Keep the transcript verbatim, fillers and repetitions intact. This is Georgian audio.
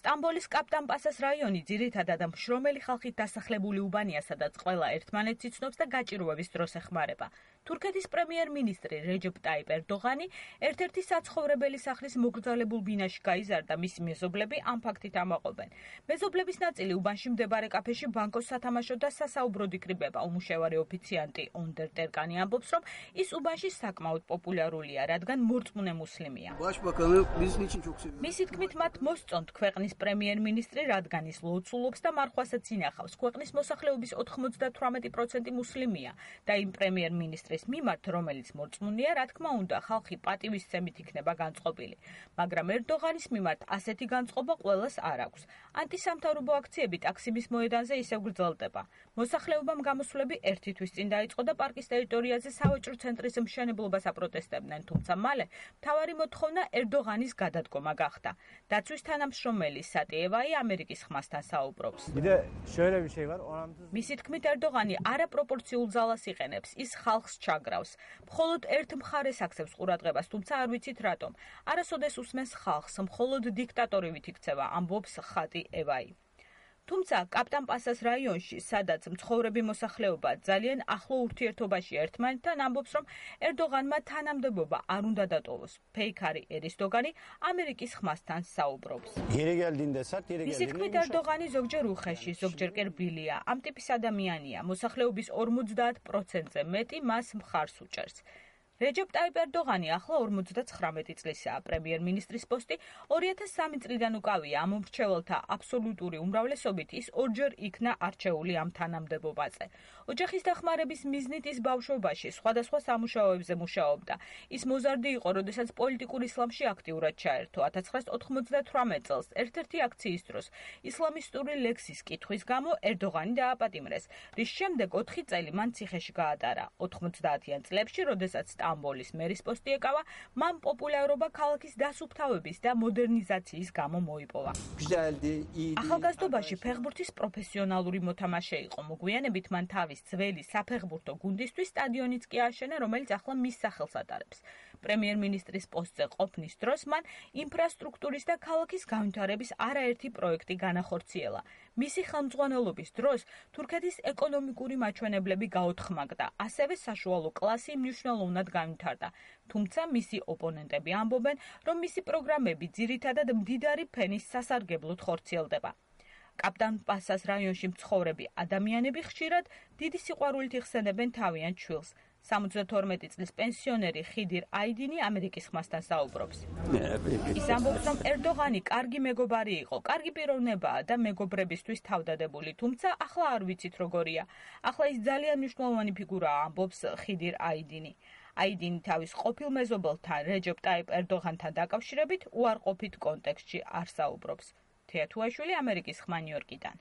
სტამბოლის კაპტან-პასას რაიონი ძირითადად მშრომელი ხალხით დასახლებული უბანია, სადაც ყველა ერთმანეთს იცნობს და გაჭირვების დროს ეხმარება. თურქეთის პრემიერ-მინისტრი რეჯეპ ტაიპ ერდოღანი ერთ-ერთი საცხოვრებელი სახლის მოგრძალებულ ბინაში გაიზარდა, მისი მეზობლები ამ ფაქტით ამაყობენ. მეზობლების ნაწილი უბანში მდებარე კაფეში ბანკოს სათამაშო და სასაუბროდ იკრიბება. უმუშევარი ოფიციანტი ონდერ ტერკანი ამბობს, რომ ის უბანში საკმაოდ პოპულარულია, რადგან მორწმუნე მუსლიმია. მისი თქმით, მათ მოსწონთ ქვეყნის პრემიერ-მინისტრი, რადგან ის ლოცულობს და მარხვასაც ინახავს. ქვეყნის მოსახლეობის ოთხმოცდათვრამეტი პროცენტი მუსლიმია და იმ პრემიერ-მინისტრის მიმართ, რომელიც მორწმუნეა, რა თქმა უნდა, ხალხი პატივისცემით იქნება განწყობილი. მაგრამ ერდოღანის მიმართ ასეთი განწყობა ყველას არ აქვს. ანტისამთავრობო აქციები ტაქსიმის მოედანზე ისევ გრძელდება. მოსახლეობამ გამოსვლები ერთი თვის წინ დაიწყო და პარკის ტერიტორიაზე სავაჭრო ცენტრის მშენებლობას აპროტესტებდნენ, თუმცა მალე მთავარი მოთხოვნა ერდოღანის გადადგომა გახდა. დაცვის თანამშრომელი სატიევაი ამერიკის ხმასთან საუბრობს. მისი თქმით, ერდოღანი არაპროპორციულ ძალას იყენებს, ის ხალხს ჩაგრავს. მხოლოდ ერთ მხარეს აქცევს ყურადღებას, თუმცა არ ვიცით რატომ. არასოდეს უსმენს ხალხს, მხოლოდ დიქტატორივით იქცევა, ამბობს ხატი ევაი. თუმცა კაპტან-პასას რაიონში, სადაც მცხოვრები მოსახლეობა ძალიან ახლო ურთიერთობაში ერთმანეთთან, ამბობს, რომ ერდოღანმა თანამდებობა არ უნდა დატოვოს. ფეიქარი ერისდოგანი ამერიკის ხმასთან საუბრობს. მისი თქმით, ერდოღანი ზოგჯერ უხეში, ზოგჯერ კი რბილია. ამ ტიპის ადამიანია. მოსახლეობის ორმოცდაათ პროცენტზე მეტი მას მხარს უჭერს. რეჯეპ ტაიპ ერდოღანი ახლა ორმოცდაცხრამეტი წლისაა. პრემიერ-მინისტრის პოსტი ორი ათას სამი წლიდან უკავია. ამ მრჩეველთა აბსოლუტური უმრავლესობით ის ორჯერ იქნა არჩეული ამ თანამდებობაზე. ოჯახის დახმარების მიზნით ის ბავშვობაში სხვადასხვა სამუშაოებზე მუშაობდა. ის მოზარდი იყო, როდესაც პოლიტიკურ ისლამში აქტიურად ჩაერთო. ათას ცხრაას ოთხმოცდათვრამეტ წელს ერთ-ერთი აქციის დროს ისლამისტური ლექსის კითხვის გამო ერდოღანი დააპატიმრეს, რის შემდეგ ოთხი წელი მან ციხეში გაატარა. ოთხმოცდაათიან წლებში, როდესაც სტამბოლის მერის პოსტი ეკავა, მან პოპულარობა ქალაქის დასუფთავების და მოდერნიზაციის გამო მოიპოვა. ახალგაზრდობაში ფეხბურთის პროფესიონალური მოთამაშე იყო. მოგვიანებით მან თავის ძველი საფეხბურთო გუნდისთვის სტადიონიც კი ააშენა, რომელიც ახლა მის სახელს ატარებს. პრემიერ-მინისტრის პოსტზე ყოფნის დროს მან ინფრასტრუქტურის და ქალაქის განვითარების არაერთი პროექტი განახორციელა. მისი ხელმძღვანელობის დროს თურქეთის ეკონომიკური მაჩვენებლები გაოთხმაგდა, ასევე საშუალო კლასი მნიშვნელოვნად განვითარდა. თუმცა მისი ოპონენტები ამბობენ, რომ მისი პროგრამები ძირითადად მდიდარი ფენის სასარგებლოდ ხორციელდება. კაპტან-პასას რაიონში მცხოვრები ადამიანები ხშირად დიდი სიყვარულით იხსენებენ თავიანთ შვილს. სამოცდათორმეტი წლის პენსიონერი ხიდირ აიდინი ამერიკის ხმასთან საუბრობს. ის ამბობს, რომ ერდოღანი კარგი მეგობარი იყო, კარგი პიროვნებაა და მეგობრებისთვის თავდადებული, თუმცა ახლა არ ვიცით როგორია. ახლა ის ძალიან მნიშვნელოვანი ფიგურაა, ამბობს ხიდირ აიდინი. აიდინი თავის ყოფილ მეზობელთან რეჯეპ ტაიპ ერდოღანთან დაკავშირებით უარყოფით კონტექსტში არ საუბრობს. თეა თუაშვილი, ამერიკის ხმა, ნიუ-იორკიდან.